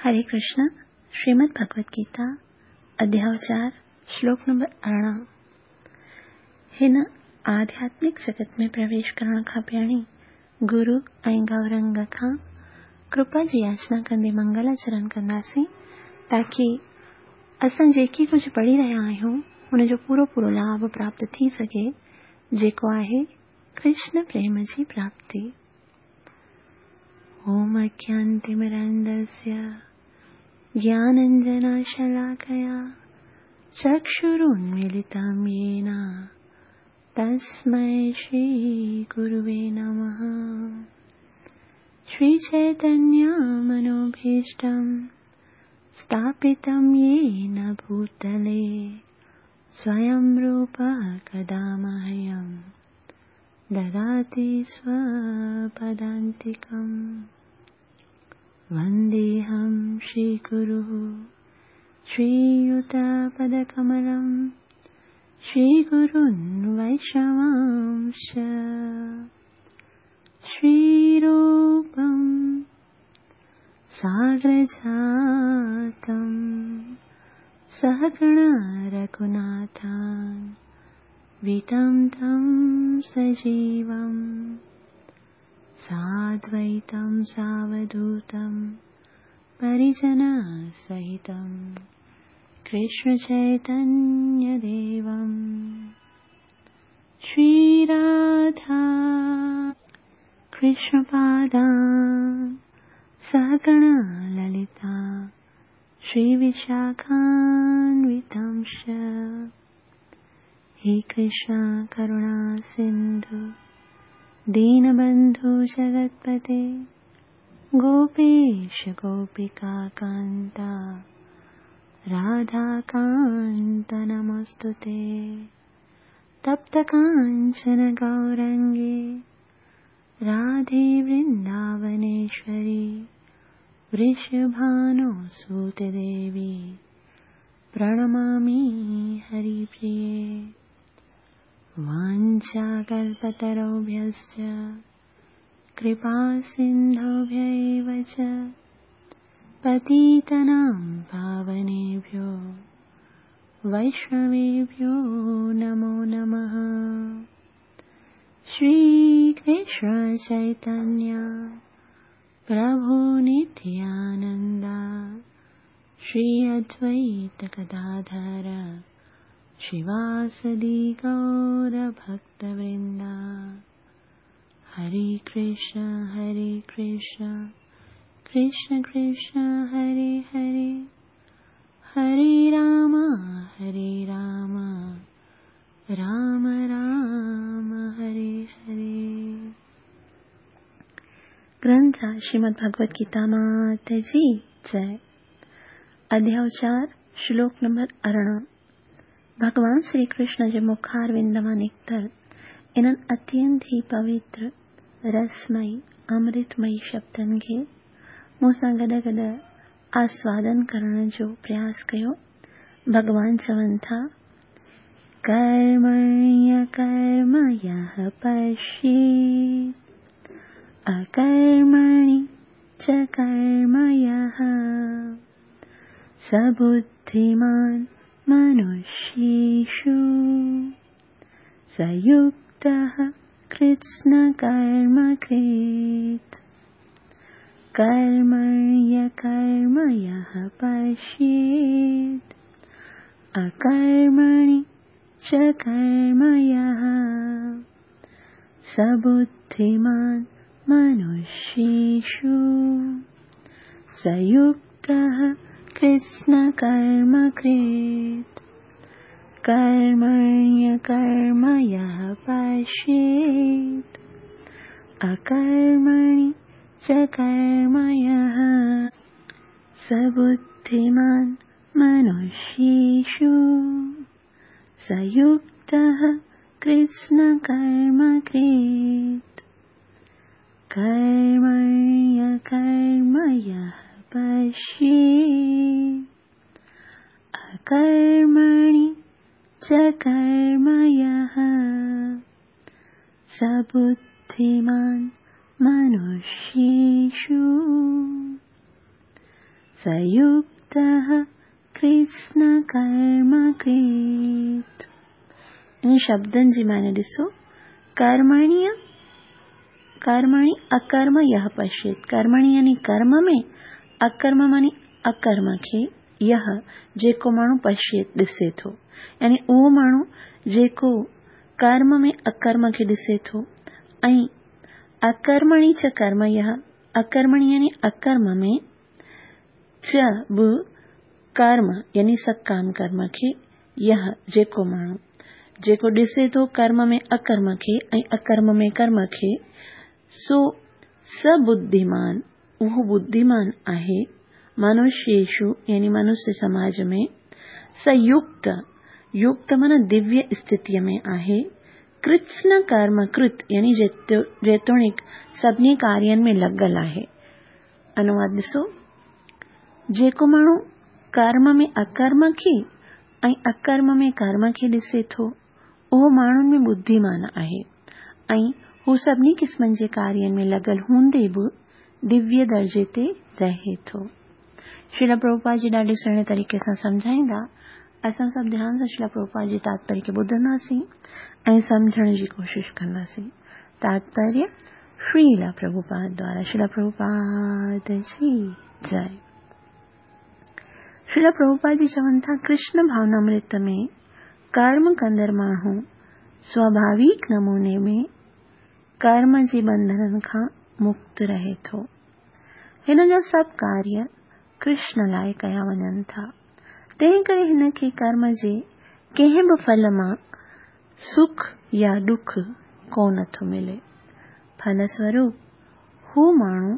हरे कृष्ण। श्रीमद् भगवत गीता अध्याय 4 श्लोक नंबर 18। हिन आध्यात्मिक जगत में प्रवेश करण खां पहिरीं गुरु ऐं गौरंग खां कृपा जी याचना कंदे मंगलाचरण कंदासीं, ताकी असां जेकी कुझु पढ़ी रहिया आहियूं हुनजो पूरो पूरो लाभ प्राप्त थी सघे, जेको आहे कृष्ण प्रेम जी प्राप्ति। ओम अज्ञानतिमिरान्धस्य ज्ञानाञ्जनशलाकया चक्षुरुन्मीलितं येन तस्मै श्रीगुरुवे नमः। श्रीचैतन्यमनोभीष्टं स्थापितं येन भूतले स्वयं रूपः कदा मह्यं ददाति स्वपदान्तिकम्। वन्देऽहं श्रीगुरुः श्रीयुतपदकमलं श्रीगुरुन् वैष्णवांश्च श्रीरूपं सागरजातं सहगण रघुनाथं वितं तं सजीवं साद्वैतं सावधूतं परिजनसहितं कृष्णचैतन्यदेवं। श्रीराधा कृष्णपादां सहगण ललिता श्रीविशाखान्वितांश्च। हे कृष्ण करुणा सिन्धु दीनबन्धु जगत्पते गोपेश गोपिका कान्ता राधाकान्त नमस्तुते। तप्त काञ्चन गौरङ्गे राधे वृन्दावनेश्वरी वृषभानुसुते देवी प्रणमामि हरिप्रिये। वाञ्छाकल्पतरुभ्यश्च कृपासिन्धुभ्य एव च पतितानां पावनेभ्यो वैष्णवेभ्यो नमो नमः। श्रीकृष्ण चैतन्य प्रभु नित्यानन्द श्री अद्वैत गदाधर श्रीवासदि गौरभक्तवृन्द। हरे कृष्ण हरे कृष्ण कृष्ण कृष्ण हरे हरे, हरे राम हरे राम राम राम हरे हरे। ग्रंथ श्रीमद् भगवत गीता मात जी जय। अध्याय 4 श्लोक नंबर 18। भॻवान श्री कृष्ण जे मुखारविंद मां निकितल इन्हनि अत्यंत ई पवित्र रसमयी अमृतमयी शब्दनि खे मूंसां गॾु गॾु आस्वादन करण जो प्रयास कयो। भॻवान चवनि था, कर्मण्य कर्म यः पश्येत् अकर्मणि च कर्म यः स बुद्धिमान् मनुष्येषु स युक्तः कृत्स्नकर्मकृत्। कर्मण्य कर्म यः पश्येत् अकर्मणि च कर्म यः स बुद्धिमान् मनुष्येषु स युक्तः कृत्स्नकर्मकृत्। कर्मण्य कर्म यः पश्येत् अकर्मणि च कर्म यः स बुद्धिमान् मनुष्येषु स युक्तः कृत्स्नकर्मकृत्। कर्मण्य कर्म यः पश्येत् अकर्मणि च कर्म यः स बुद्धिमान् मनुष्येषु स स युक्तः कृत्स्न कर्म कृत्। इन शब्दनि जी माने ॾिसो, कर्मणीय कर्मणि अकर्म यह पश्येत। कर्मणि यानी कर्म में, अकर्म मानी अकर्म खे, यह जेको माण्हू पश्येत ॾिसे थो, यानी उहो माण्हू जेको कर्म में अकर्म खे ॾिसे थो। ऐं अकर्मणि च कर्म यह, अकर्मणि यानी अकर्म में, च बि कर्म यानी सकाम कर्म खे, यह जेको माण्हू जेको ॾिसे थो कर्म में अकर्म खे ऐं अकर्म में कर्म खे, सो स बुद्धिमान, उहो बुद्धिमान आहे। मनुष्येषु यानी मनुष्य समाज में, स युक्त, युक्त माना दिव्य स्थितीअ में आहे। कृत्स्न कर्म कृत यानी जेतोणीकि सभिनी कार्यनि में लॻल आहे। अनुवाद ॾिसो, जेको माण्हू कर्म में अकर्म खे ऐं अकर्म में कर्म खे ॾिसे थो, उहो माण्हुनि में बुद्धिमान आहे ऐं हू सभिनी क़िस्मनि जे कार्यनि में लॻल हूंदे बि दिव्य दर्जे ते रहे थो। श्रील प्रभुपाद जी ॾाढे सुहिणे तरीक़े सां सम्झाईंदा। असां सभु ध्यान सां श्रील प्रभुपाद जे तात्पर्य खे ॿुधंदासीं ऐं सम्झण जी कोशिशि कंदासीं। तात्पर्य श्रील प्रभुपाद द्वारा। श्रील प्रभुपाद जी जय। श्रील प्रभुपाद जी चवनि था, कृष्ण भावनामृत में कर्म कंदड़ माण्हू स्वाभाविक नमूने में कर्म जे बंधननि खां मुक्त रहे थो। हिन जा सभु कार्य कृष्ण लाइ कया वञनि था, तंहिं करे हिन खे कर्म जे कंहिं बि फल मां सुख या ॾुख कोन थो मिले। फलस्वरूप हू माण्हू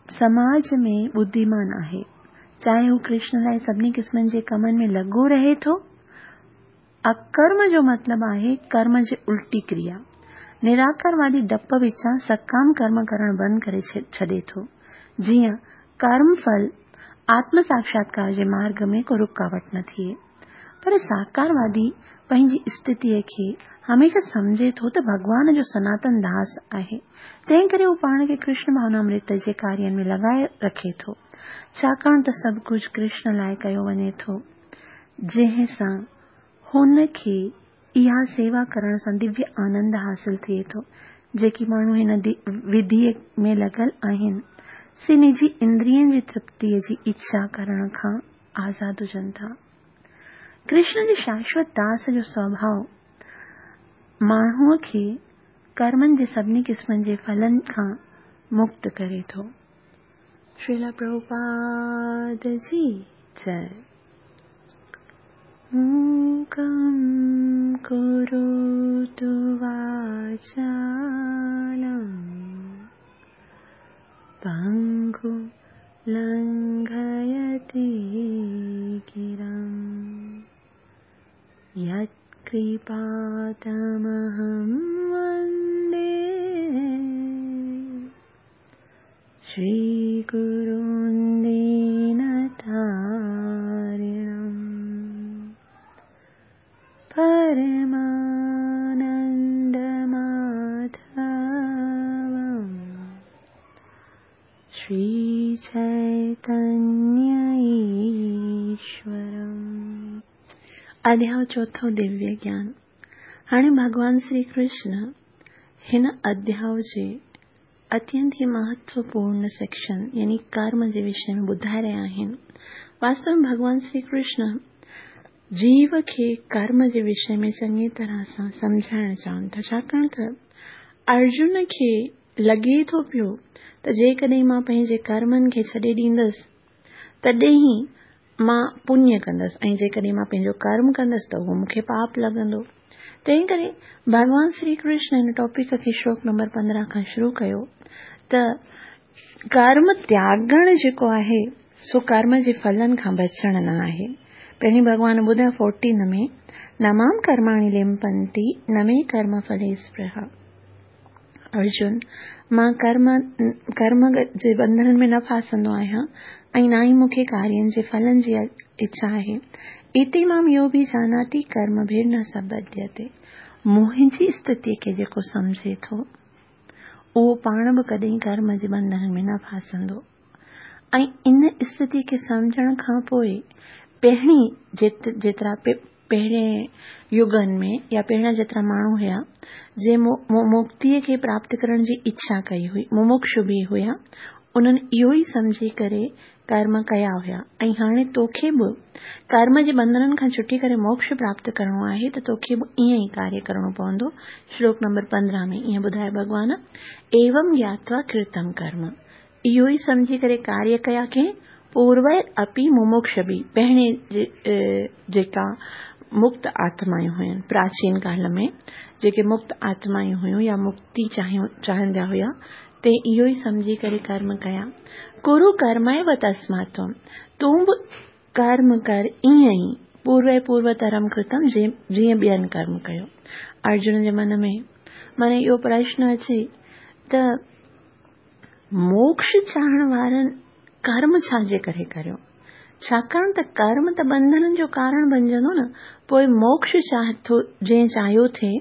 समाज में बुद्धिमान आहे, चाहे हू कृष्ण लाइ सभिनी क़िस्मनि जे कमनि में लॻो रहे थो। अकर्म जो मतिलबु आहे कर्म जी उल्टी क्रिया। निराकारवादी डप विचां सकाम कर्म करणु बंदि करे छॾे थो, जीअं कर्म फल आत्म साक्षात्कार जे मार्ग में को रुकावट न थिए। पर साकारवादी पंहिंजी स्थितीअ खे हमेशह सम्झे थो त भॻवान जो सनातन दास आहे, तंहिं करे हू पाण खे कृष्ण भावनामृत जे कार्यनि में लॻाए रखे थो, छाकाणि त सभु कुझु कृष्ण लाइ कयो वञे थो, जंहिं सां हुन खे इहा सेवा करण सां दिव्य आनंद हासिल थिए थो। जेके माण्हू हिन विधीअ में लॻल आहिनि, से निजी इंद्रियनि जी तृप्तीअ जी इच्छा करण खां आज़ाद हुजनि था। कृष्ण जे शाश्वत दास जो स्वभाव माण्हूअ खे कर्मनि जे सभिनी क़िस्मनि जे फलनि खां मुक्त करे थो। श्रील प्रभुपाद जी जय। मूकं करोतु वाचालं पङ्गुं लङ्घयते गिरिं यत्कृपातमहं वन्दे श्रीगुरुं दीनतारिणं परमानन्दमाधवं श्रीचैतन्य ईश्वरम्। अध्याय चोथों दिव्य ज्ञान। हाणे भॻवान श्री कृष्ण हिन अध्याय जे अत्यंत ई महत्वपूर्ण सेक्शन यानी कर्म जे विषय में ॿुधाए रहिया आहिनि। वास्तव में भॻवान श्री कृष्ण जीव खे कर्म जे विषय में चङी तरह सां सम्झाइण चाहनि था, छाकाणि त अर्जुन खे लॻे थो पियो त जेकॾहिं मां पंहिंजे कर्मनि खे छॾे ॾींदसि तॾहिं ई मां पुण्य कंदसि ऐं जेकॾहिं मां पंहिंजो कर्म कंदसि त उहो मूंखे पाप लॻंदो। तंहिं करे भॻवान श्री कृष्ण हिन टॉपिक खे श्लोक नंबर 15 खां शुरू कयो त कर्म त्यागण जेको आहे सो कर्म जे फलनि खां बचणु न आहे। पहिरीं भॻवान ॿुधायो 14 में, न मां कर्माणि लिम्पन्ति न मे कर्म फले स्पृहा। अर्जुन, मां कर्म जे बंधननि में न फासंदो आहियां ऐं न ई मूंखे कार्यनि जे फलनि जी इच्छा आहे। इति मां यो बि जानाति कर्मभिर्न स बध्यते। मुंहिंजी स्थितीअ खे जेको सम्झे थो उहो पाण बि कॾहिं कर्म जे बंधननि में न फासंदो। ۽ ان اسٿتي کي سمجهڻ کان پوء پهرين جيترا پهرين يگن ۾ يا پهريان جيترا ماڻهو هيا، جنهن مڪتيء کي پراپت ڪرڻ جي اڇا ڪئي هئي، ممڪشو به هيا، انهن اهو ئي سمجهي ڪري ڪرم ڪيا هيا ۽ هاڻي توکي به ڪرم جي ٻنڌنن کان ڇٽي ڪري موڪش پراپت ڪرڻو آهي ته توکي به ائين ئي ڪاريه ڪرڻو پوندو. شلوڪ نمبر 15 ۾ ائين ٻڌايو ڀڳوان، ايوم گياتوا ڪرتم ڪرم، اهو ئي سمجهي ڪري ڪاريه ڪيا ڪنهن؟ پوروير اپي ممڪشبي، پهرين جيڪا مڪت آتمائون هيون، پراچين ڪال ۾ جيڪي مڪت آتمائون هيون يا مڪتي چاهيندا هيا، تي اهو ئي سمجهي ڪري ڪرم ڪيا. ڪرو ڪرميو تسمات تون، تون به ڪرم ڪر ائين ئي، پوروي پوروترم ڪرتم، جيئن ٻين ڪرم ڪيو. ارجن جي من ۾ معني اهو پرشن اچي ته موڪش چاهڻ وارن ڪرم ڇا جي ڪري ڪريو؟ ڇاڪاڻ ته ڪرم ته ٻنڌنن جو ڪارڻ بنجندو نه، پوء موڪش چاهي ٿو جنهن چاهيو ٿي،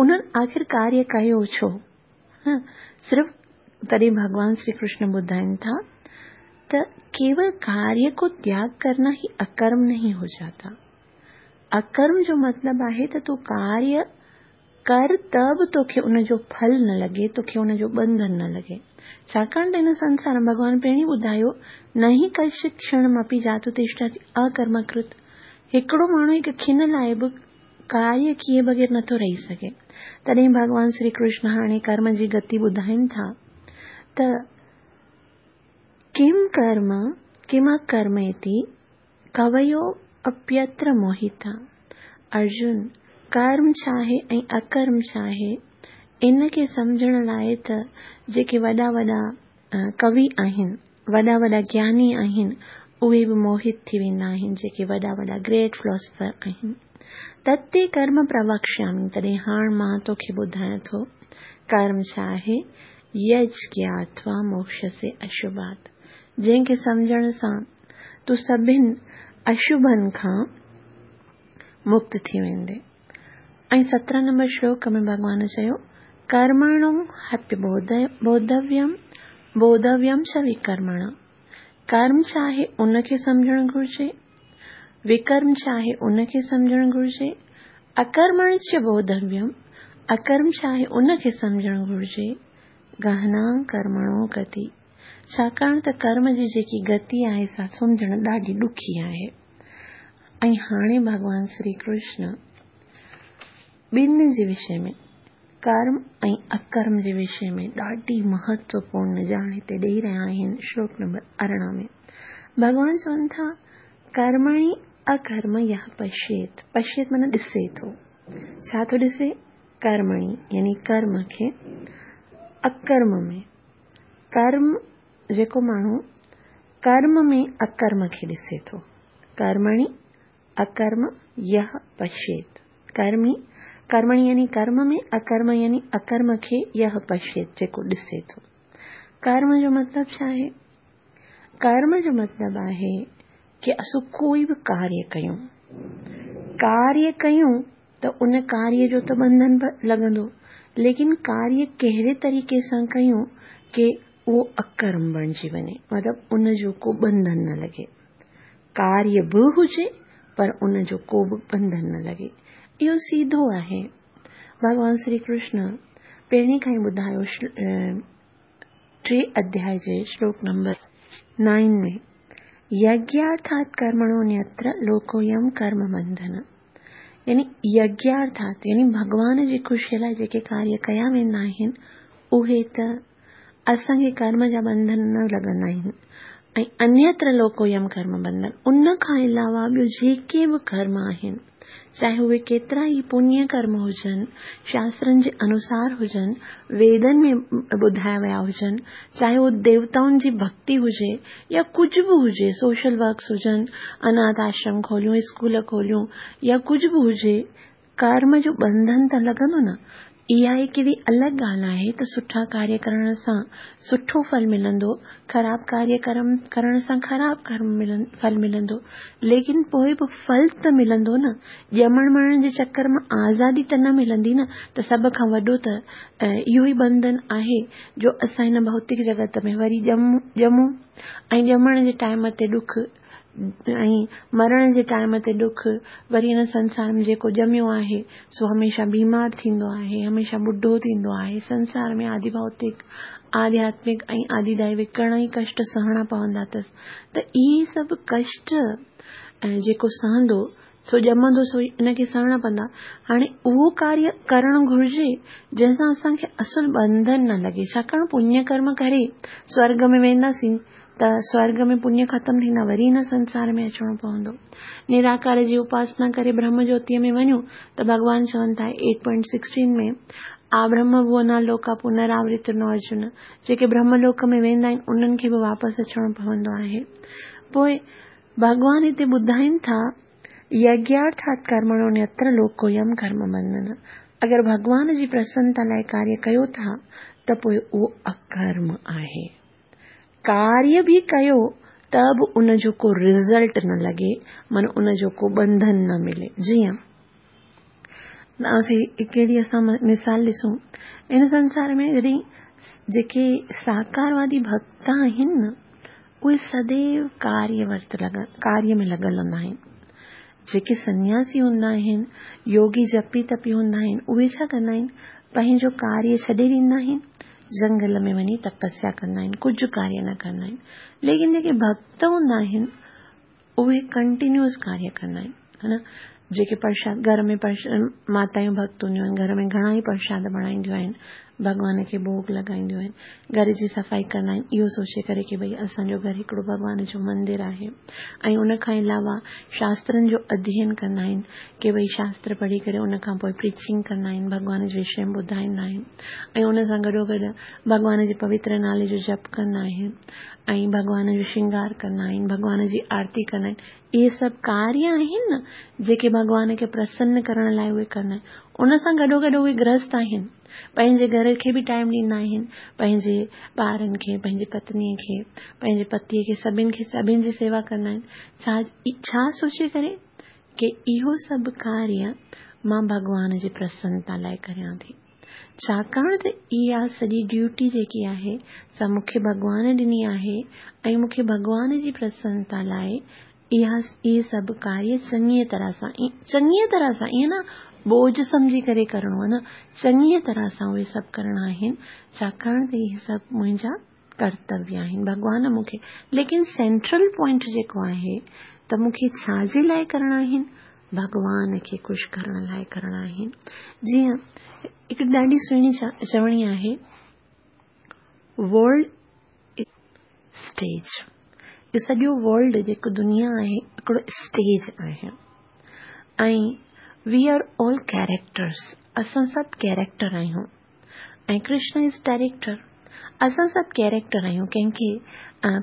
انهن آخر ڪاريه ڪيو ڇو؟ صرف تڏهن ڀڳوان شري ڪرشن ٻڌائين ٿا ته ڪيول ڪاريه ڪو تياڳ ڪرنا هي اڪرم نهين هو جاتا. اڪرم جو مطلب آهي ته تون ڪاريه ڪر ته به توکي ان جو ڦل نه لڳي، توکي ان جو ٻنڌن نه لڳي. ڇاڪاڻ ته هن سنسار ۾ ڀڳوان پهرين ٻڌايو، نهي ڪشچت ڪشڻمپي جاتو تشٺتي اڪرمڪرت، هڪڙو ماڻهو هڪ کن لاء به ڪاريه ڪيئي بغير نٿو رهي سگهي. تڏهن ڀڳوان شري ڪرشن هاڻي ڪرم جي گتي ٻڌائين ٿا ته ڪم ڪرم ڪم اڪرم اتي ڪويو اپيتر موهتا. ارجن، ڪرم ڇا آهي ۽ اڪرم ڇا آهي، ان کي سمجهڻ لاء ته جيڪي وڏا وڏا ڪوي آهن، وڏا وڏا گياني آهن، اهي به موهت ٿي ويندا آهن، جيڪي وڏا وڏا گريٽ فلاسفر آهن. تتي ڪرم پروڪشيامي، تڏهن هاڻ مان توکي ٻڌايان ٿو ڪرم ڇا آهي، يج گياتوا موڪشسي اشوڀات، جنهن کي سمجهڻ سان تون سڀن اشوڀن کان مڪت ٿي ويندين. ۽ 17 نمبر شلوڪ ۾ ڀڳوان چيو، ڪرمڻو هپي بوڌويم، بوڌويم چ وڪرمڻ. ڪرم ڇا آهي ان کي سمجهڻ گهرجي، وڪرم ڇا آهي ان کي سمجهڻ گهرجي، اڪرمڻ چ بوڌويم، اڪرم ڇا آهي ان کي سمجهڻ گهرجي، گهنا ڪرمڻو گتي. ڇاڪاڻ ته ڪرم جي جيڪي گتي آهي سا سمجهڻ ڏاڍي ڏکي آهي. ۽ هاڻي ڀڳوان شري ڪرشن ٻن جي وشي ۾ ڪرم ۽ اڪرم جي وشي ۾ ڏاڍي مهتوپورن ڄاڻ هتي ڏيئي رهيا آهن شلوڪ نمبر 18 ۾ ڀڳوان چون ٿا ڪرمڻي اڪرم يھ پشيت، پشيت معنيٰ ڏسي ٿو، ڇا ٿو ڏسي؟ ڪرمڻي يعني ڪرم کي، اڪرم ۾ ڪرم جيڪو ماڻهو ڪرم ۾ اڪرم کي ڏسي ٿو، ڪرمڻي اڪرم يھ پشيت، ڪرمي ڪرمڻي يعني ڪرم ۾ اڪرم يعني اڪرم کي يھ پشيت جيڪو ڏسي ٿو. ڪرم جو مطلب ڇا آهي؟ ڪرم جو مطلب آهي ڪي اسون ڪوئي به ڪاريه ڪيون، ڪاريه ڪيون ته ان ڪاريه جو ته ٻنڌن به لڳندو، ليڪن ڪاريه ڪهڙي طريقي سان ڪيون ڪي اهو اڪرم بڻجي وڃي، مطلب ان جو ڪو ٻنڌن نه لڳي. ڪاريه به هجي پر ان جو ڪو به ٻنڌن نه لڳي. اهو سيڌو آهي. ڀڳوان شري ڪرشن پهرين کان ئي ٻڌايو ٽي اڌياء جي شلوڪ نمبر 9 ۾، يگيارٿات ڪرمڻو نيتر لوڪويم ڪرم بنڌن، يعني يگيارٿات يعني ڀڳوان جي خوشيء لاء جيڪي ڪاريه ڪيا ويندا آهن اهي ته اسان کي ڪرم جا بنڌن نه لڳندا آهن، ۽ انيتر لوڪويم ڪرم بنڌن ان کان علاوه ٻيو جيڪي به ڪرم آهن چاهي اهي ڪيترا ئي پڃ ڪرم هجن، شاسترن جي انوسار هجن، ويدن ۾ ٻڌايا ويا هجن، چاهي اهو ديوتائن جي ڀڳتي هجي يا ڪجهه به هجي، سوشل ورڪس هجن، اناٿ آشرم کوليون، اسڪول کوليون يا ڪجهه به هجي، ڪرم جو ٻنڌن ته لڳندو نه. اها هڪڙي الڳ ڳالهه آهي ته سٺا ڪاريه ڪرڻ سان سٺو ڦل ملندو، خراب ڪاريه ڪرم ڪرڻ سان خراب ڪرم ڦل ملندو، ليڪن پوء به ڦل ته ملندو نه، ڄمڻ مرڻ جي چڪر مان آزادي ته نه ملندي نه، ته سڀ کان وڏو ته اهو ئي ٻنڌن آهي جو اسان هن ڀوتڪ جڳت ۾ وري ڄمون ۽ ڄمڻ جي ٽائيم تي ڏک ۽ مرڻ جي ٽائيم تي ڏک، وري هن سنسار ۾ جيڪو ڄميو آهي سو هميشه بيمار ٿيندو آهي، هميشه ٻڍو ٿيندو آهي، سنسار ۾ آدي ڀوتڪ، آڌياتمڪ ۽ آدي دائوڪ گهڻا ئي ڪشٽ سهڻا پوندا اٿس ته اهي سڀ ڪشٽ جيڪو سهندو سو ڄمندو سو ان کي سهڻا پوندا. هاڻي اهو ڪاريه ڪرڻ گهرجي جنهن سان اسان کي اصل ٻنڌن نه لڳي. ڇاڪاڻ پڃ ڪرم ڪري سورڳ ۾ وينداسين ته سورڳ ۾ پڃ ختم ٿيندا وري هن سنسار ۾ اچڻو پوندو. نراڪار جي اپاسنا ڪري برهم جوتيء ۾ وڃون ته ڀڳوان چون ٿا ايٽ پوائنٽ سڪسٽين ۾ آ برهم ڀونا لوڪا پنراورتنو ارجن جيڪي برهم لوڪ ۾ ويندا آهن انهن کي به واپس اچڻو پوندو آهي. پوء ڀڳوان هتي ٻڌائين ٿا، يگيارٿات ڪرمڻو نيتر لوڪويم ڪرم بنڌن، اگر ڀڳوان جي پرسنتا لاء ڪاريه ڪيو ٿا ته پوء اهو اڪرم آهي. ڪاريه به ڪيو ته به ان جو ڪو رزلٽ نه لڳي، معنيٰ ان جو ڪو ٻنڌن نه ملي. جيئن هڪڙي اسان مثال ڏسون، هن سنسار ۾ جڏهن جيڪي ساڪاروادي ڀڳت آهن نه، اهي سديو ڪاريه ورت ڪاريه ۾ لڳل هوندا آهن. جيڪي سنياسي هوندا آهن، يوگي جپي تپي هوندا آهن، اهي ڇا ڪندا آهن؟ پنهنجو ڪاريه ڇڏي ڏيندا آهن، جنگل ۾ وڃي تپسيا ڪندا آهن، ڪجهه ڪاريه نه ڪندا آهن. ليڪن جيڪي ڀڳت هوندا آهن، اهي ڪنٽينيوس ڪاريه ڪندا آهن، ها نه؟ جيڪي پرشاد گهر ۾ ماتايون ڀڳت هونديون آهن، گهر ۾ گهڻا ئي پرشاد بڻائينديون آهن، ڀڳوان کي ڀوڳ لڳائينديون آهن، گهر جي صفائي ڪندا آهن، اهو سوچي ڪري ڪي ڀئي اسان جو گهر هڪڙو ڀڳوان جو مندر آهي ۽ ان کان علاوه شاسترن جو اڌيين ڪندا آهن ڪي ڀئي شاستر پڙهي ڪري ان کان پوء پريچنگ ڪندا آهن، ڀڳوان جي وشي ۾ ٻڌائيندا آهن ۽ ان سان گڏوگڏ ڀڳوان جي پوتر نالي جو جپ ڪندا آهن ۽ ڀڳوان جو شنگار ڪندا آهن، ڀڳوان جي آرتي ڪندا آهن. اهي سڀ ڪاريه آهن نه جيڪي ڀڳوان کي پرسن ڪرڻ لاء اهي ڪندا آهن. ان سان گڏوگڏ اهي گرهست آهن. پنهنجي گهر کي به ٽائيم ڏيندا آهن، پنهنجي ٻارن کي، پنهنجي پتنيء کي، پنهنجي پتيء کي، سڀن کي سڀن جي سيوا ڪندا آهن. ڇا ڇا سوچي ڪري ڪي اهو سڀ ڪاريه مان ڀڳوان جي پرسنتا لاء ڪريان ٿي. ڇاڪاڻ ته اها سڄي ڊيوٽي جيڪي آهي سا مون کي ڀڳوان ڏني آهي ۽ مون کي ڀڳوان جي پرسنتا لاء اها اهي سڀ ڪاريه چڱيء طرح سان چڱيء طرح سان ائين نه بوجهه سمجهي ڪري ڪرڻو آهي نه چڱيء طرح سان اهي سڀ ڪرڻا آهن ڇاڪاڻ ته اهي سڀ منهنجا ڪرتويه آهن ڀڳوان مون کي ليڪن سينٽرل پوائنٽ جيڪو آهي ته مون کي ڇا جي لاء ڪرڻا آهن ڀڳوان کي خوش ڪرڻ لاء ڪرڻا آهن جيئن هڪ ڏاڍي سهڻي چوڻي آهي ورلڊ اسٽيج اهو سڄو ورلڊ جيڪو دنيا آهي هڪڙو اسٽيج آهي ۽ وي آر آل ڪيريڪٽرس اسان سڀ ڪيريڪٽر آهيون ۽ ڪرشن از ڊائريڪٽر. اسان سڀ ڪيريڪٽر آهيون. ڪنهن کي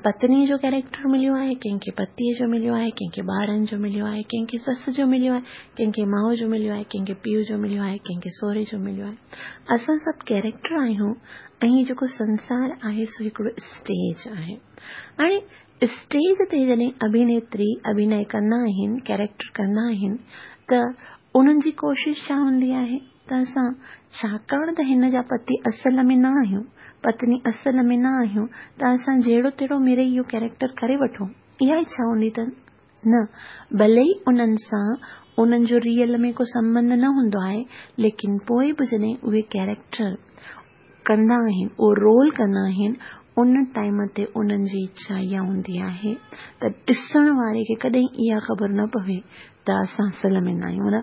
پتنيء جو ڪيريڪٽر مليو آهي، ڪنهن کي پتيء جو مليو آهي، ڪنهن کي ٻارن جو مليو آهي، ڪنهن کي سس جو مليو آهي، ڪنهن کي ماء جو مليو آهي، ڪنهن کي پيء جو مليو آهي، ڪنهن کي سهري جو مليو آهي. اسان سڀ ڪيريڪٽر آهيون ۽ هي جيڪو سنسار آهي سو هڪڙو اسٽيج آهي. هاڻي اسٽيج تي جڏهن اڀينيتري اڀينئه ڪندا آهن، ڪيريڪٽر ڪندا آهن ته انهن جي ڪوشش ڇا هوندي آهي؟ ته اسان ڇاڪاڻ ته هن جا پتي اصل ۾ نه آهيون، پتني اصل ۾ نه آهيون ته اسان جهڙو تهڙو مڙئي اهو ڪيريڪٽر ڪري وٺون، اها اڇا هوندي اٿن؟ نه، ڀلي ئي انهن سان انهن جو ريئل ۾ ڪو سنٻنڌ نه هوندو آهي، ليڪن پوء به جڏهن اهي ڪيريڪٽر ڪندا آهن، اهو رول ڪندا آهن، ان ٽائيم تي انهن جي اڇا اها هوندي آهي ته ڏسڻ واري کي ڪڏهن اها خبر نه پوي ته اسان اصل ۾ نه آهيون. معنيٰ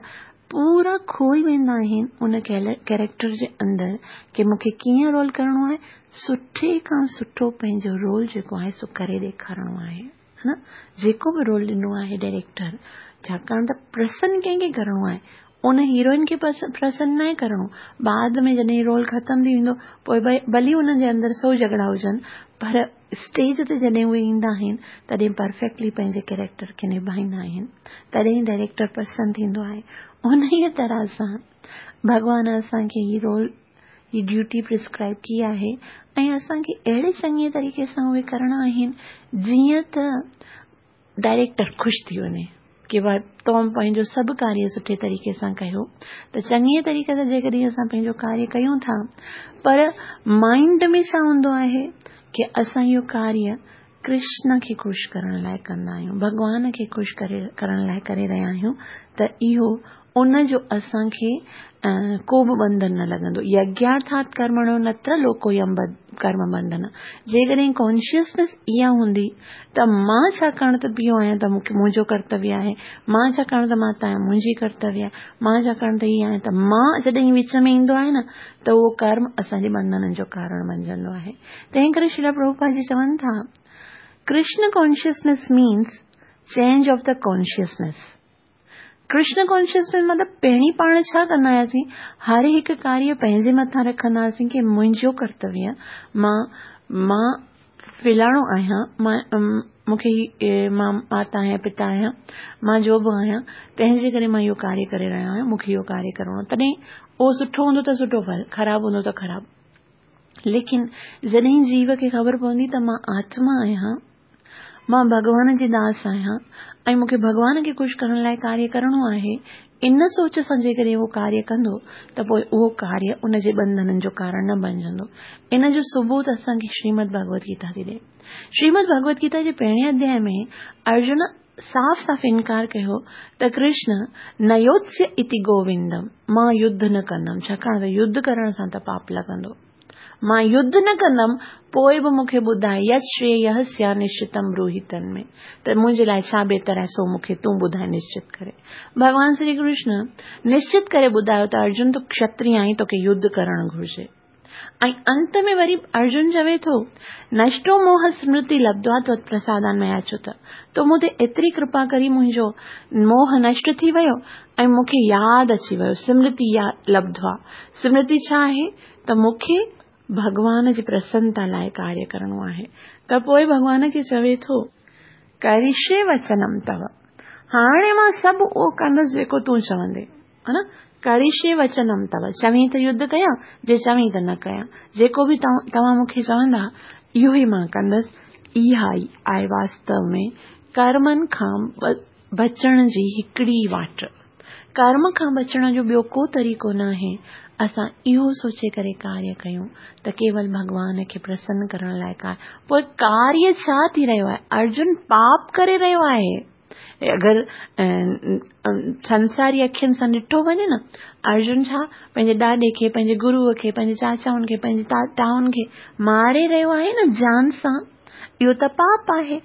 پورا کوئي ويندا آهن ان ڪيريڪٽر جي اندر ڪي مون کي ڪيئن رول ڪرڻو آهي، سٺي کان سٺو پنهنجو رول جيڪو آهي سو ڪري ڏيکارڻو آهي. ها نه جيڪو به رول ڏنو آهي ڊائريڪٽر ڇاڪاڻ ته پرسن ڪنهن کي ڪرڻو آهي ان هيروئن کي پرسن ناهي ڪرڻو بعد ۾ جڏهن رول ختم ٿي ويندو پوء ڀلي انهن جي اندر سو جهڳڙا هجن پر اسٽيج تي جڏهن اهي ايندا آهن تڏهن پرفيڪٽلي پنهنجي ڪيريڪٽر کي نڀائيندا آهن تڏهن ڊائريڪٽر پرسن ٿيندو آهي انهيء طرح سان ڀڳوان اسان کي هي رول، هي ڊيوٽي پرسڪرائب ڪئي آهي ۽ اسان کي اهڙي چڱي طريقي سان اهي ڪرڻا آهن جيئن ته ڊائريڪٽر خوش ٿي وڃي ڪي ڀائي تو پنهنجو سڀ ڪاريه سٺي طريقي سان ڪيو. ته چڱي طريقي سان جيڪڏهن اسان پنهنجو ڪاريه ڪيون ٿا پر مائنڊ ۾ ڇا هوندو آهي ڪي اسان اهو ڪاريه ڪرشن کي خوش ڪرڻ لاء ڪندا آهيون، ڀڳوان کي خوش ڪرڻ لاء ڪري رهيا آهيون ته اهو ان جو اسان کي ڪو به ٻنڌن نه لڳندو. يگيارٿات ڪرمڻو نتر لوڪويم ڪرم ٻنڌن. جيڪڏهن ڪانشسنيس اها هوندي ته مان ڇاڪاڻ ته پيو آهيان ته مون کي منهنجو ڪرتويه آهي، مان ڇاڪاڻ ته ماتا آهيان منهنجي ڪرتويه آهي، مان ڇاڪاڻ ته هي آهيان ته مان جڏهن وچ ۾ ايندو آهي نه ته اهو ڪرم اسان جي ٻنڌنن جو ڪارڻ بنجندو آهي. تنهن ڪري شريلا پرڀوپاد جي چون ٿا، Krishna consciousness means change of the consciousness. Krishna consciousness مطلب پهرين پاڻ ڇا ڪندا هياسين، هر هڪ ڪاريه پنهنجي مٿان رکندا هئاسين ڪي منهنجو ڪرتويه مان مان فلاڻو آهيان، مان مون کي هي مان ماتا آهيان پتا آهيان، مان جو به آهيان تنهن جي ڪري مان اهو ڪاريه ڪري رهيو آهيان، مون کي اهو ڪاريه ڪرڻو آهي. تڏهن اهو سٺو هوندو ته سٺو ڦل، خراب هوندو ته خراب. ليڪن جڏهن جيو کي خبر پوندي ته مان آتما آهيان، مان ڀڳوان جي داس آهيان ۽ مون کي ڀڳوان کي خوش ڪرڻ لاء ڪاريه ڪرڻو آهي، ان سوچ سان جيڪڏهن اهو ڪاريه ڪندو ته پوء اهو ڪاريه ان جي ٻنڌنن جو ڪارڻ نه بنجندو. ان جو ثبوت اسان کي شريمد ڀڳوت گيتا ٿي ڏئي. شريمد ڀڳوت گيتا جي پهرين اڌيائي ۾ ارجن صاف صاف انڪار ڪيو ته ڪرشن نيوتسيه اتي گووندم، مان يڌ نه ڪندم، ڇاڪاڻ ته يڌ ڪرڻ سان ته پاپ لڳندو. مان يڌ نه ڪندم، پوء به مون کي ٻڌاء يت شرييه سيا نشچتم بروهي تن ۾، ته منهنجي لاء ڇا بهتر آهي سو مون کي تون ٻڌاء نشچت ڪري. ڀڳوان شري ڪرشن نشچت ڪري ٻڌايو ته ارجن تون کشتري آهين توکي يڌ ڪرڻ گهرجي. ۽ انت ۾ وري ارجن چوي ٿو، نشٽو موهه سمرتي لبڌوا توت پرسادان ميا اچوت، تو مون تي ايتري ڪرپا ڪري منهنجو موهه نشٽ ٿي ويو ۽ مون کي ياد اچي ويو، سمرتي لبڌوا، سمرتي ڇا آهي ته مون کي ڀڳوان جي پرسنتا لاء ڪاريه ڪرڻو آهي ته پوء ڀڳوان کي چوي ٿو، ڪرشي وچنم تو، هاڻي مان سڀ اهو ڪندس جيڪو تون چوندين. ها نه؟ ڪرشي وچنم تو، چوين ته يڌ ڪيان، جي چوين ته نه ڪيان. جيڪو به توهان مون کي چوندا، اهو ئي مان ڪندس. اها ئي آهي واستو ۾ ڪرمن کان بچڻ جي هڪڙي ئي واٽ. ڪرم کان بچڻ جو ٻيو ڪو طريقو ناهي. اسان اهو سوچي ڪري ڪاريه ڪيون ته ڪيول ڀڳوان کي پرسن ڪرڻ لاء ڪاريه. پوء ڪاريه ڇا ٿي رهيو آهي؟ ارجن پاپ ڪري رهيو آهي. اگر سنساري اکين سان ڏٺو وڃي نه، ارجن ڇا پنهنجي ڏاڏي کي، پنهنجي گروء کي، پنهنجي چاچائن کي، پنهنجي تائن کي ماري رهيو آهي نه جان سان، اهو ته پاپ آهي،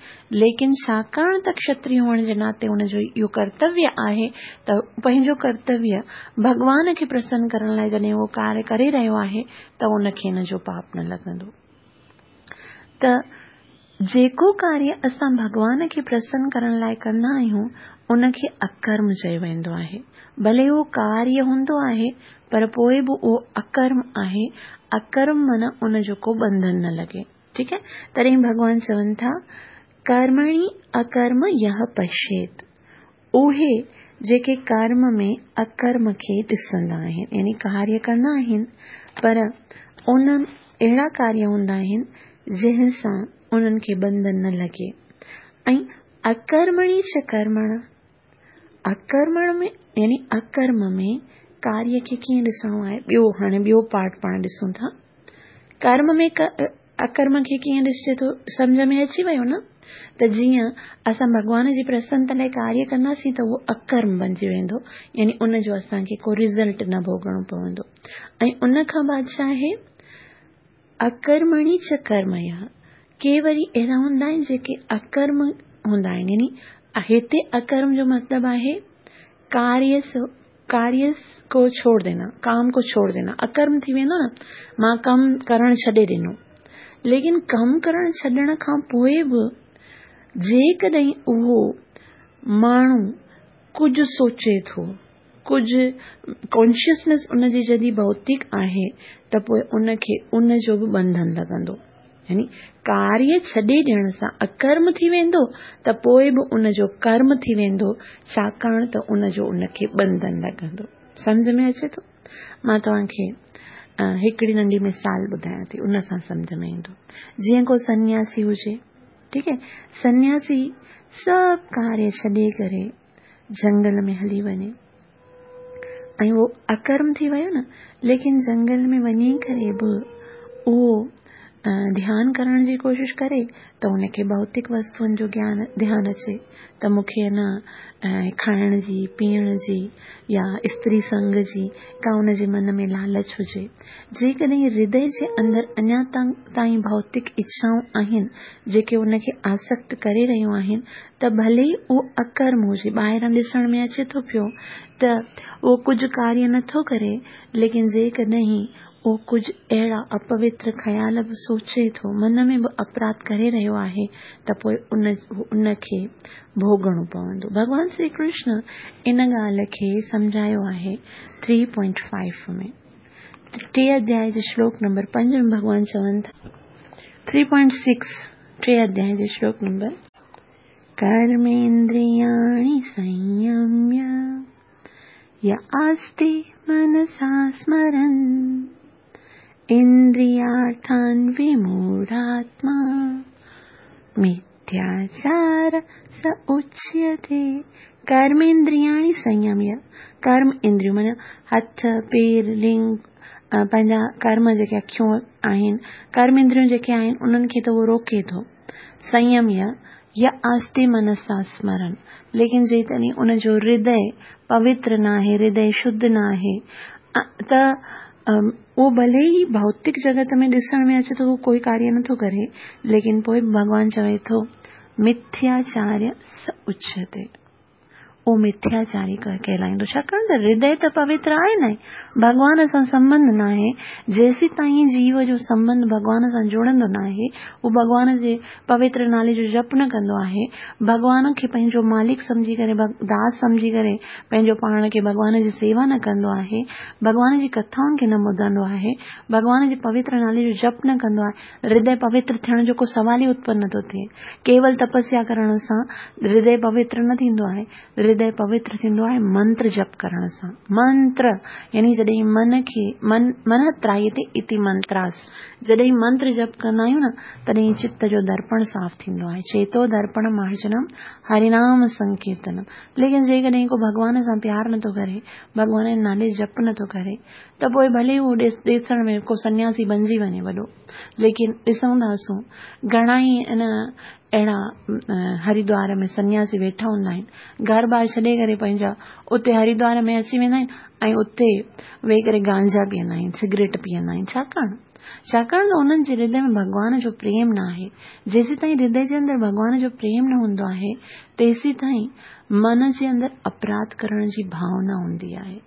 ليڪن ڇاڪاڻ ته کشتري هئڻ جي ناتي ان جو اهو ڪرتويه آهي ته پنهنجو ڪرتويه ڀڳوان کي پرسن ڪرڻ لاء جڏهن اهو ڪاريه ڪري رهيو آهي ته ان کي ان جو پاپ نه لڳندو. ته جيڪو ڪاريه اسان ڀڳوان کي پرسن ڪرڻ لاء ڪندا آهيون، ان کي اڪرم چيو ويندو آهي. ڀلي اهو ڪاريه هوندو آهي، پر پوء به اهو اڪرم آهي. اڪرم معنيٰ ان جو ڪو ٻنڌن نه لڳي. ٺيڪ آهي؟ تڏهن ڀڳوان چون ٿا، ڪرمڻي اڪرم يهه پشيت. اهي جيڪي ڪرم ۾ اڪرم کي ڏسندا آهن يعني ڪاريه ڪندا آهن پر ان اهڙا ڪاريه هوندا آهن جنهن سان انهن کي ٻنڌن نه لڳي ۽ اڪرمڻي چ ڪرمڻ اڪرمڻ ۾ يعني اڪرم ۾ ڪاريه کي ڪيئن ڏسڻو آهي ٻيو هاڻي ٻيو پارٽ پاڻ ڏسون ٿا ڪرم ۾ اڪرم کي ڪيئن ڏسجي ٿو سمجهه ۾ اچي ويو نه ته جيئن اسان ڀڳوان جي پرسنتا لاء ڪاريه ڪنداسين ته اهو اڪرم بنجي ويندو يعني ان جو اسان کي ڪو رزلٽ نه ڀوڳڻو پوندو ۽ ان کان بعد ڇا آهي اڪرمڻي چ ڪرميه ڪي وري اهڙا هوندا آهن جيڪي اڪرم هوندا آهن يعني هتي اڪرم جو مطلب آهي ڪاريه ڪاريه ڪو ڇوڙ دينا، ڪام ڪو ڇوڙ دينا، اڪرم ٿي ويندو نه، مان ڪم ڪرڻ ڇڏي ڏنو. ليڪن ڪم ڪرڻ ڇڏڻ کان پوء به جيڪڏهن اهو ماڻهو ڪجهه سوچي ٿو، ڪجهه ڪانشسنيس ان جي جڏهن ڀوتڪ آهي ته پوء ان کي ان جو به ٻنڌن لڳندو. يعني ڪاريه ڇڏي ڏيڻ سان اڪرم ٿي ويندو ته پوء به ان جو ڪرم ٿي ويندو ڇاڪاڻ ته ان جو ان کي ٻنڌن لڳندو. سمجهه ۾ اچي ٿو؟ مان توهان کي هڪڙي ننڍي مثال ٻڌايان ٿي، ان سان سمجهه ۾ ايندو. جيئن ڪو سنياسي هجي، ٺيڪ آهي، سنياسي سڀ ڪاريه ڇڏي ڪري جهنگل ۾ هلي وڃي ۽ اهو اڪرم ٿي ويو نه، ليڪن جهنگل ۾ وڃي ڪري به اهو ڌيان ڪرڻ جي ڪوشش ڪري ته ان کي ڀوتڪ وستوئن جو گيان ڌيان اچي ته مون کي نه کائڻ جي، پيئڻ جي يا استري سنگ جي ڪا ان جي من ۾ لالچ هجي. جيڪڏهن هردي جي اندر اڃا تائين ڀوتڪ اڇائون آهن جيڪي ان کي آسڪت ڪري رهيون آهن ته ڀلي ئي اهو اڪرم هجي، ٻاهران ڏسڻ ۾ اچي ٿو پيو ته اهو ڪجهه ڪاريه نٿو ڪري، ليڪن جيڪڏهن اهو ڪجهه اهڙا اپوتر خيال به سوچي ٿو، من ۾ به اپراڌ ڪري رهيو آهي ته پوء ان کي ڀوڳڻو پوندو. ڀڳوان شري ڪرشن ان ڳالهه کي سمجهايو آهي ٿري پوائنٽ فائيو ۾. ٽي اڌياء جي شلوڪ نمبر 5 ۾ ڀڳوان چون ٿا. ٿري پوائنٽ سڪس ٽي اڌياء جي شلوڪ نمبر. ڪرميندرياڻي سنيميه ي آستي منسا سمرن اندريارٿان وموڙهاتما مٿياچار س اچيتي. ڪرميندرياڻي سنيميه، ڪرم اندريون معنيٰ هٿ، پير، لنگ، پنهنجا ڪرم جيڪي اکيون آهن، ڪرم اندريون جيڪي آهن انهن کي ته اهو روڪي ٿو. سنيميه ي آستي منسا سمرن، ليڪن جيڪڏهن ان جو هردي پوتر ناهي، هردي شڌ ناهي ته اهو ڀلي ئي ڀوتڪ جڳت ۾ ڏسڻ ۾ اچي ٿو اهو ڪوئي ڪاريه نٿو ڪري، ليڪن پوء به ڀڳوان چوي ٿو مٿياچاريه س اچيتي، اهو مٿياچاري ڪهلائيندو، ڇاڪاڻ ته هردي ته پوتر آهي نه، ڀڳوان سان سنٻنڌ ناهي، جيسيتائين جيو جو سنٻنڌ ڀڳوان سان جڙندو ناهي، هو ڀڳوان جي پوتر نالي جو جپ نه ڪندو آهي، ڀڳوان کي پنهنجو مالڪ سمجهي ڪري، داس سمجهي ڪري پنهنجو پاڻ کي ڀڳوان جي سيوا نه ڪندو آهي، ڀڳوان جي ڪٿائن کي نه ٻڌندو آهي، ڀڳوان جي پوتر نالي جو جپ نه ڪندو آهي، هردي پوتر ٿيڻ جو ڪو سوال ئي اتپن نه ٿو ٿئي. ڪيول تپسيا ڪرڻ سان هردي پوتر نه ٿيندو آهي. هردي پوتر ٿيندو آهي منتر جپ ڪرڻ سان. منتر يعني جڏهن من کي من من ترائيتي اتي منتراس، جڏهن منتر جپ ڪندا آهيون نه تڏهن چت جو درپڻ صاف ٿيندو آهي. چيتو درپڻ مارجنم هرينام سنڪيرتنم. ليڪن جيڪڏهن ڪو ڀڳوان سان پيار نه ٿو ڪري، ڀڳوان جي نالي جپ نه ٿو ڪري ته پوء ڀلي هو ڏسڻ ۾ ڪو سنياسي بنجي وڃي وڏو، ليڪن ڏسون ٿا سون گهڻا ئي ان اهڙا هريدوار ۾ سنياسي ويٺا هوندا آهن، گهر ٻار ڇڏي ڪري پنهنجا اتي هريدوار ۾ اچي ويندا آهن ۽ اتي ويهي ڪري گانجا پيئندا آهن، سگريٽ پيئندا آهن. ڇاڪاڻ؟ ڇاڪاڻ ته انهن جي هردي ۾ ڀڳوان جو پريم نه آهي. جيسيتائين هردي جي اندر ڀڳوان جو پريم نه هوندو آهي، تيسيتائين من جي اندر اپراڌ ڪرڻ جي ڀاونا هوندي آهي.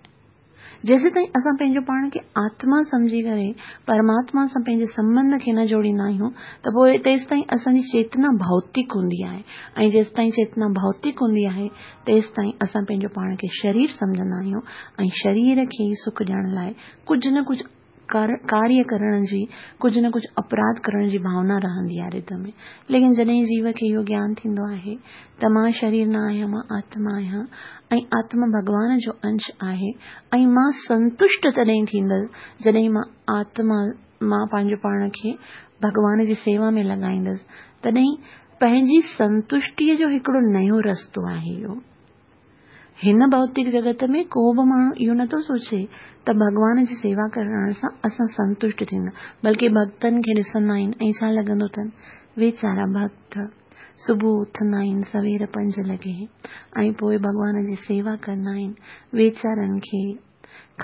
جيسيتائين اسان پنهنجو پاڻ کي آتما سمجهي ڪري پرماتما سان پنهنجي سنٻنڌ کي نه جوڙيندا آهيون ته پوء تيستائين اسان جي چيتنا ڀوتڪ هوندي آهي ۽ جيستائين چيتنا ڀوتڪ هوندي آهي تيستائين اسان پنهنجو پاڻ کي شرير سمجهندا آهيون ۽ شرير کي ئي سک ڏيڻ لاء ڪجهه نه ڪجهه ڪاريه ڪرڻ جي، ڪجهه نه ڪجهه اپراڌ ڪرڻ جي ڀاونا رهندي آهي هردي ۾. ليڪن جڏهن جيو کي اهو گيان ٿيندو آهي ته مان شرير نه آهيان، مان آتما آهيان ۽ آتما ڀڳوان جو انش آهي ۽ مان سنتشٽ تڏهن ٿيندس جڏهن مان آتما مان پنهنجو پاڻ کي ڀڳوان جي سيوا ۾ لڳائيندس، تڏهن پنهنجي سنتشٽيء جو هڪڙو نيو رستو آهي اهو. هن ڀوتڪ جڳت ۾ ڪو به ماڻهو اهو نٿو سوچي ته ڀڳوان جي سيوا ڪرڻ سان اسان سنتشٽ ٿيندا، بلڪه ڀڳتن کي ڏسندا آهن ۽ ڇا لڳندو اٿن، ويچارا ڀڳت صبح اٿندا آهن سوير 5 لڳي ۽ پوء ڀڳوان جي سيوا ڪندا آهن، ويچارن کي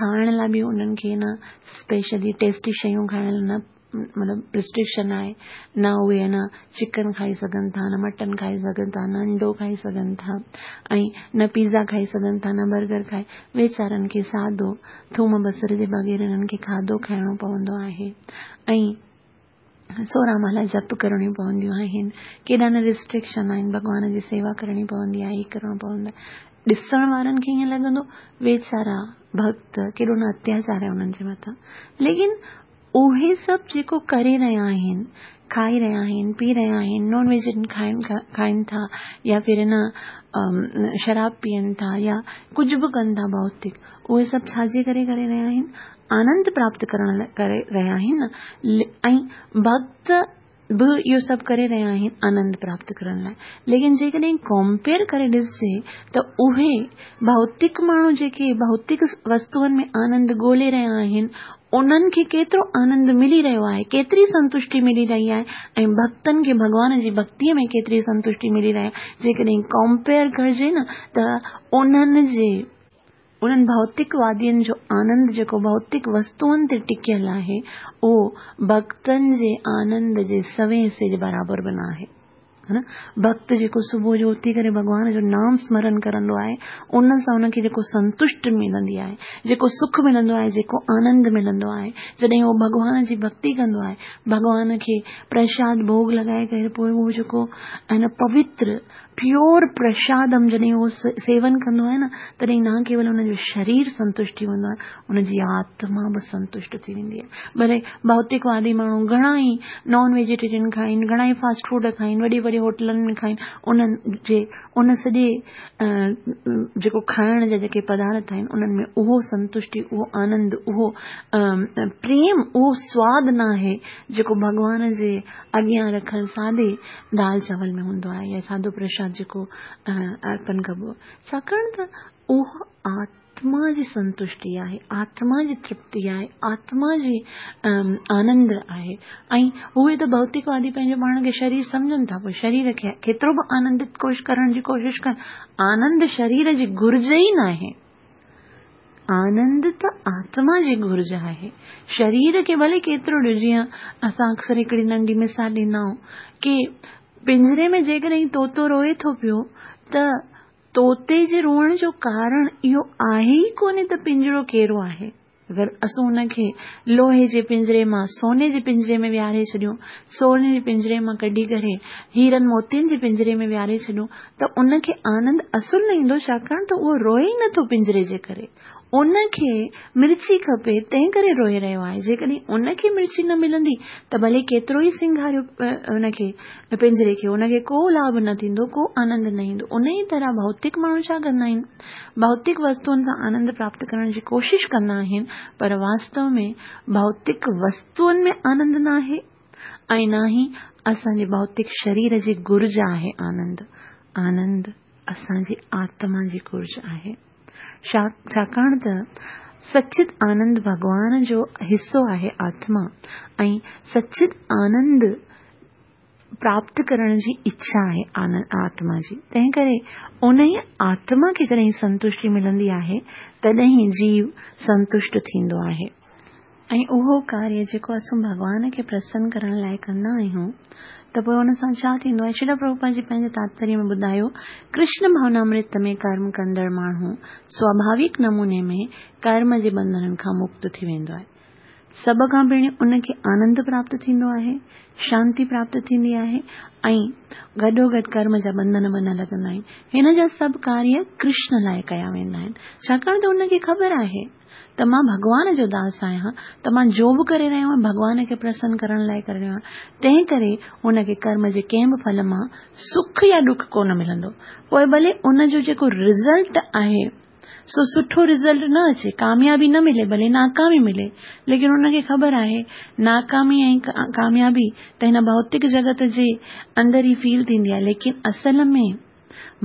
کائڻ لاء به انهن کي نه اسپيشلي ٽيسٽي شيون کائڻ لاء نه مطلب رسٽرڪشن آهي، نه اهي نه چڪن کائي سگهن ٿا، نه مٽن کائي سگهن ٿا، نه انڊو کائي سگهن ٿا ۽ نه پيزا کائي سگهن ٿا، نه برگر کائي، ويچارن کي سادو ٿوم بصر جي بغير انهن کي کاڌو کائڻو پوندو آهي ۽ 16 مالا جپ ڪرڻيون پونديون آهن، ڪيڏا نه رسٽرڪشن آهن، ڀڳوان جي سيوا ڪرڻي پوندي آهي، هي ڪرڻو پوندو آهي، ڏسڻ وارن کي ائين لڳندو ويچارا ڀڳت ڪيڏو نه اتياچار آهي انهن جي مٿان، ليڪن اهي سڀ جيڪو ڪري رهيا آهن، کائي رهيا آهن، پي رهيا آهن، نان ويج کائن کائن ٿا يا ڦر نه شراب پيئن ٿا يا ڪجهه به ڪن ٿا ڀوتڪ، اهي سڀ ڇا جي ڪري ڪري رهيا آهن؟ آنند پراپت ڪرڻ لاء ڪري رهيا آهن ۽ ڀڳت به اهو سڀ ڪري رهيا آهن آنند پراپت ڪرڻ لاء. ليڪن جيڪڏهن ڪمپيئر ڪري ڏسجي ته اهي ڀوتڪ ماڻهو جيڪي ڀوتڪ وستوئن ۾ آنند ڳولي رهيا آهن انهن کي ڪيترو آنند ملي رهيو آهي، ڪيتري سنتشٽي ملي رهي آهي ۽ ڀڳتن کي ڀڳوان جي ڀڳتيء ۾ ڪيتري سنتشٽي ملي رهي آهي، جيڪڏهن ڪمپيئر ڪرجي نه ته انهن جي انهن ڀوتڪ وادين جو آنند جيڪو ڀوتڪ وستوئن تي ٽڪيل آهي، اهو ڀڳتن جي آنند جي سوين حصي جي برابر به نه آهي. ڀڳت جيڪو صبح جو اٿي ڪري ڀڳوان جو نام سمرن ڪرندو آهي، ان سان ان کي جيڪو سنتشٽ ملندي آهي، جيڪو سک ملندو آهي، جيڪو آنند ملندو آهي، جڏهن اهو ڀڳوان جي ڀڳتي ڪندو آهي، ڀڳوان کي پرشاد ڀوڳ لڳائي ڪري پوء اهو جيڪو پوتر پيور پرشادم جڏهن اهو سيون ڪندو آهي نه تڏهن نه ڪيول ان جو شرير سنتشٽ ٿي ويندو آهي ان جي آتما به سنتشٽ ٿي ويندي آهي. ڀلي ڀوتڪ وادي ماڻهو گهڻا ئي نان ويجيٽيرين کائين، گهڻا ئي فاسٽ فوڊ کائين، وڏي وڏي هوٽلن ۾ کائين، انهن جي ان سڄي جيڪو کائڻ جا جيڪي پدارٿ آهن انهن ۾ اهو سنتشٽي، اهو آنند، اهو پريم، اهو سواد ناهي جيڪو ڀڳوان جي اڳيان رکيل سادي دال چانول ۾ هوندو آهي يا سادو پرشاد جيڪو ارپن ڪبو آهي ڇاڪاڻ ته اهو آتما جي سنتشٽي آهي آتما جي ترپتي آهي آتما جي آنند آهي ۽ اهي ته ڀوتڪوادي پنهنجو پاڻ کي شرير سمجهن ٿا پوء شرير کي ڪيترو به آنندت ڪوش ڪرڻ جي ڪوشش ڪن آنند شرير جي گهرج ئي ناهي آنند ته آتما جي گهرج آهي. شرير کي ڀلي ڪيترو ڏيو جيئن اسان اڪثر هڪڙي ننڍي مثال ڏيندا آهيون ڪي پڃري ۾ جيڪڏهن طوطو روئي ٿو پيو ته طوطي جي روئڻ جو ڪارڻ اهو آهي ئي ڪونهي ته پڃرو ڪهڙو آهي. اگر اسون ان کي لوهي جي پڃري مان سوني جي پڃري ۾ ويهاري ڇڏيون، سوني جي پڃري مان ڪڍي ڪري هيرن موتين جي پڃري ۾ ويهاري ڇڏيون ته ان کي آنند اصل نه ايندو ڇاڪاڻ ته اهو روئي ئي نٿو پڃري جي ڪري. ان کي مرچي کپي تنهن ڪري روئي رهيو آهي. جيڪڏهن ان کي مرچي نه ملندي ته ڀلي ڪيترو ئي سينگاريو ان کي پڃري کي ان کي ڪو لاڀ نه ٿيندو ڪو آنند نه ايندو. انهيء طرح ڀوتڪ ماڻهو ڇا ڪندا آهن؟ ڀوتڪ وستوئن سان آنند پراپت ڪرڻ جي ڪوشش ڪندا آهن پر واستو ۾ ڀوتڪ وستوئن ۾ آنند ناهي ۽ نه ئي اسان جي ڀوتڪ شرير جي گهرج آهي آنند. آنند اسان جي آتما جي گهرج آهي. ڇاڪاڻ ته سچت آنند ڀڳوان جو حصو آهي آتما ۽ سچت آنند پراپت ڪرڻ جي اڇا آهي آتما جي، تنهن ڪري انهيء آتما کي جڏهن سنتشٽي ملندي آهي، تڏهن جيو سنتشٽ ٿيندو آهي. ۽ اهو ڪاريه جيڪو اسون ڀڳوان کي پرسن ڪرڻ لاء ڪندا آهيون ته پوء ان سان ڇا ٿيندو آهي؟ شريل پرڀوپاد جي پنهنجي تاتپريه ۾ ٻڌايو، ڪرشن ڀاونامرت ۾ ڪرم ڪندڙ ماڻهو سواڀاويڪ نموني ۾ ڪرم جي ٻنڌنن کان مڪت ٿي ويندو آهي. سڀ کان پهرين ان کي آنند پراپت ٿيندو آهي، شانتي پراپت ٿيندي آهي ۽ گڏوگڏ ڪرم جا ٻنڌن به نه لڳندا آهن. هن جا سڀ ڪاريه ڪرشن لاء ڪيا ويندا آهن، ڇاڪاڻ ته ان کي خبر آهي ته مان ڀڳوان جو داس آهيان ته مان جو به ڪري رهيو آهيان ڀڳوان کي پرسن ڪرڻ لاء ڪري رهيو آهيان، تنهن ڪري هن کي ڪرم جي ڪنهن به ڦل مان سک يا ڏک ڪونه ملندو، پوء ڀلي ان جو جيڪو رزلٽ آهي. سو سٺو رزلٽ نه اچي، ڪاميابي نه ملي، ڀلي ناڪامي ملي، ليڪن ان کي خبر آهي ناڪامي ۽ ڪاميابي ته هن ڀوتڪ جڳت جي اندر ئي فيل ٿيندي آهي، ليڪن اصل ۾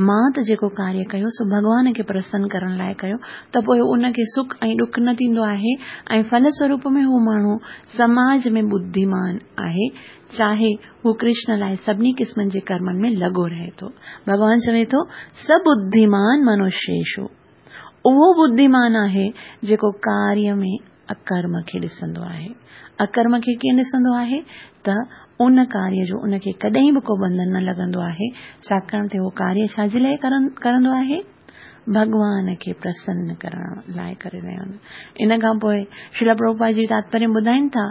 مان ته جيڪو ڪاريه ڪيو سو ڀڳوان کي پرسن ڪرڻ لاء ڪيو ته پوء ان کي سک ۽ ڏک نه ٿيندو آهي ۽ ڦل سوروپ ۾ هو ماڻهو سماج ۾ ٻڌيمان آهي چاهي هو ڪرشن لاء سڀني قسمن جي ڪرمن ۾ لڳو رهي ٿو. ڀڳوان چوي ٿو، س ٻڌيمان منشيشو. اهو ٻڌيمان آهي جيڪو ڪاريه ۾ اڪرم کي ڏسندو آهي. اڪرم کي ڪيئن ڏسندو آهي ته ان ڪاريه جو ان کي ڪڏهن به ڪو ٻنڌن نه لڳندو آهي، ڇاڪاڻ ته اهو ڪاريه ڇا جي لاء ڪرندو آهي؟ ڀڳوان کي پرسن ڪرڻ لاء ڪري رهيو آهي. ان کان پوء شريل پرڀوپاد جي تاتپريه ٻڌائين ٿا،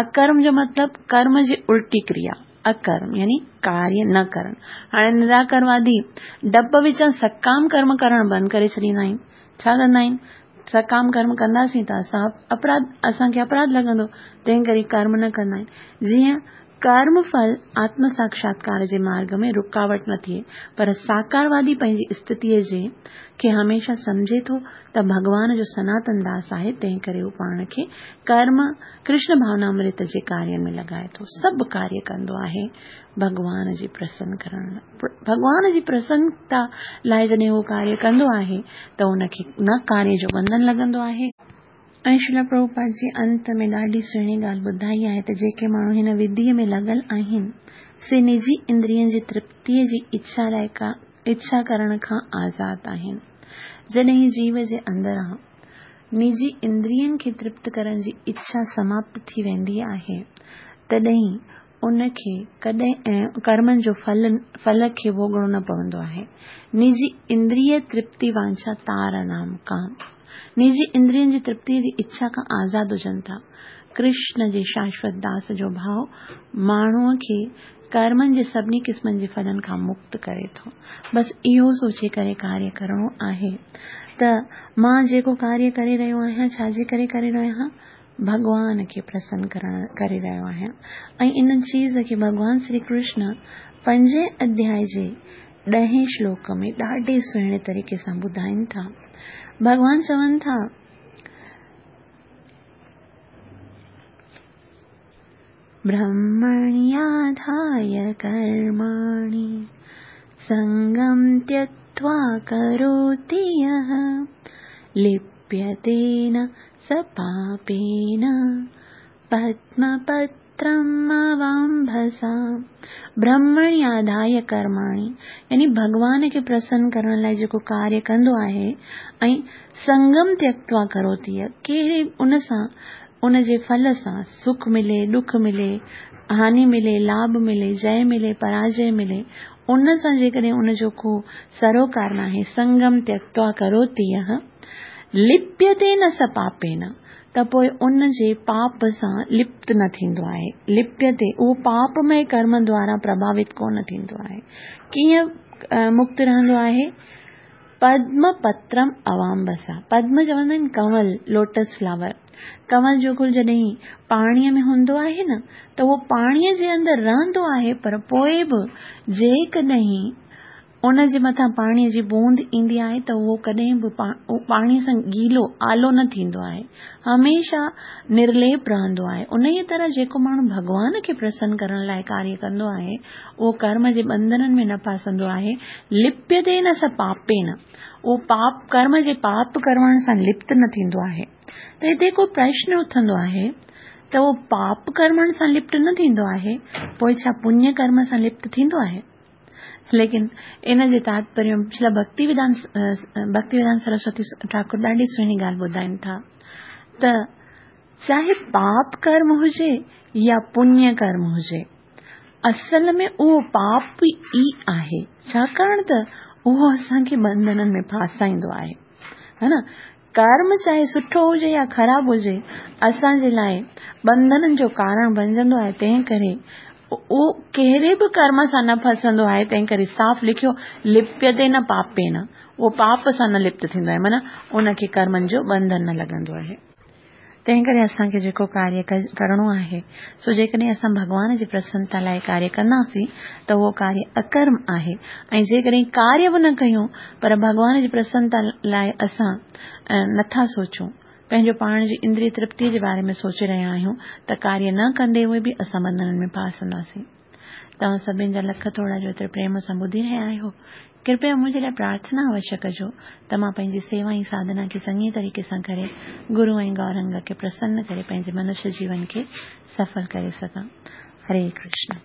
اڪرم جو مطلب ڪرم جي الٽي ڪريا، اڪرم يعني ڪاريه نه ڪرڻ. هاڻي نراڪروادي ڊپ وچان سڪام ڪرم ڪرڻ بند ڪري ڇڏيندا آهن. ڇا ڪندا آهن؟ سڪام ڪرم ڪنداسين ته اسان اپراڌ اسان کي اپراڌ لڳندو، تنهن ڪري ڪرم نه ڪندا آهن. جيئن ڪرم ڦل آتم ساڪشاتڪار جي مارڳ ۾ رڪاوٽ نه ٿئي، پر ساڪاروادي پنهنجي استٿيء جي کي هميشه سمجهي ٿو ته ڀڳوان جو سناتن داس آهي، تنهن ڪري هو پاڻ کي ڪرم، ڪرشن ڀاونامرت جي ڪارين ۾ لڳائي ٿو. سڀ ڪاريه ڪندو آهي ڀڳوان جي پرسن ڪرڻ لاء. ڀڳوان جي پرسنتا لاء جڏهن هو ڪاريه ڪندو آهي ته ان کي نه ڪاريه جو ٻنڌن لڳندو آهي. ۽ شريلا پرڀوپاد جي انت ۾ ڏاڍي سهڻي ڳالهه ٻڌائي آهي ته جيڪي ماڻهو هن وڌيء ۾ لڳل آهن، سي نجي اندرين جي ترپتيء جي اڇا لاء ڪا اڇا ڪرڻ کان آزاد آهن. جڏهن جيو جي اندران نجي اندرين کي ترپت ڪرڻ جي اڇا سماپت ٿي ويندي آهي، تڏهن ان کي ڪڏهن ڪرمن جو ڦل ڦل کي ڀوڳڻو نه پوندو آهي. نجي اندريه ترپتي وانڇا تار نام ڪام نجي اندرين جي ترپتيء جي اڇا کان آزاد هجن ٿا. ڪرشن جي شاشوت داس جو ڀاء ماڻهوء کي ڪرمن جي سڀني قسمن جي ڦلن کان مڪت ڪري ٿو. بس اهو سوچي ڪري ڪاريه ڪرڻو آهي ته مان جيڪو ڪاريه ڪري رهيو آهيان ڇا جي ڪري ڪري رهيو آهيان؟ ڀڳوان کي پرسن ڪرڻ ڪري رهيو آهيان ۽ ان چيز کي ڀڳوان شري ڪرشن پنجين اڌيائي جي ڏهين شلوڪ ۾ ڏاڍي سهڻي طريقي سان ٻڌائين ٿا. ڀڳوان چون ٿا. برهمڻياڌايه ڪرماڻي سنگم تيڪتوا ڪروتي يهه لپيتي نه س پاپين پدم پترم برهمڻياڌايه ڪرماڻي يعني ڀڳوان کي پرسن ڪرڻ لاء جيڪو ڪاريه ڪندو آهي ۽ سنگم تيڪتوا ڪروتي ڪهڙي ان سان ان جي ڦل سان سک ملي ڏک ملي هاني ملي لاڀ ملي جئه ملي پراجئه ملي ان سان جيڪڏهن ان جو ڪو سروڪار ناهي سنگم تيڪتوا ڪروتي لپيتي نه س پاپين ته پوء ان جي پاپ سان لپت نه ٿيندو آهي. لپيتي، اهو پاپمئي ڪرم دوارا پرڀاوت ڪونه ٿيندو آهي. ڪيئن مڪت رهندو آهي؟ پدم پترم اوامبسا. پدم چوندا آهن ڪنول، لوٽس فلاور. ڪنول جو گل جڏهن پاڻيء ۾ هوندو آهي نه ته اهو پاڻيء جي اندر رهندو آهي پر پوء به جيڪڏهن ان جي مٿان پاڻيء جي بوند ايندي آهي ته اهو ڪڏهن به پاڻيء سان گيلو، آلو نه ٿيندو آهي. هميشه نرليپ رهندو آهي. انهيء طرح جيڪو ماڻهو ڀڳوان کي پرسن ڪرڻ لاء ڪاريه ڪندو آهي، اهو ڪرم جي ٻنڌنن ۾ نه ڦاسندو آهي. لپيتي نه س پاپين، اهو پاپ ڪرم جي پاپ ڪرڻ سان لپت نه ٿيندو آهي. ته هتي هڪ پرشن اٿندو آهي ته اهو پاپ ڪرمن سان لپت نه ٿيندو آهي، پوء ڇا پڃ ڪرم سان لپت ٿيندو آهي؟ ليڪن ان جي تاتپريه شريلا ڀڪتي ويدانت ڀڪتي ويدانت سرسوتي ٺاڪر ڏاڍي سهڻي ڳالهه ٻڌائين ٿا ته چاهي پاپ ڪرم هجي يا پڃ ڪرم هجي اصل ۾ اهو پاپ ئي آهي ڇاڪاڻ ته اهو اسان کي بنڌنن ۾ ڦاسائيندو آهي ها نه ڪرم چاهي سٺو هجي يا خراب هجي، اسان جي لاء ٻنڌنن جو ڪارڻ بنجندو آهي، تنهن ڪري اهو ڪهڙي به ڪرم سان نه ڦسندو آهي، تنهن ڪري صاف لکيو لپيتي نه پاپين، اهو پاپ سان نه لپت ٿيندو آهي، معنيٰ ان کي ڪرمن جو ٻنڌن نه لڳندو آهي. تنهن ڪري اسان کي جيڪو ڪاريه ڪرڻو آهي، سو جيڪڏهن اسان ڀڳوان جي پرسنتا لاء ڪاريه ڪنداسين ته اهو ڪاريه اڪرم آهي ۽ جيڪڏهن ڪاريه به نه ڪيون پر ڀڳوان جي پرسنتا لاء اسان نٿا سوچون، پنهنجو پاڻ جي اندري ترپتيء جي باري ۾ سوچي رهيا آهيون ته ڪاريه نه ڪندي هوئي به اسان ٻنڌنن ۾ ڦاسنداسين. توهان سڀني جا لک ٿورا جو ايتري پريم سان ٻڌي رهيا آهيو. ڪرپيا منهنجي لاء پرارٿنا اوشيه ڪجو ته مان پنهنجي سيوا ۽ ساڌنا کي چڱي طريقي سان ڪري گرو ۽ گورنگ کي پرسن ڪري پنهنجي منشيه جيون کي سڦل ڪري سگهان. هري ڪرشن.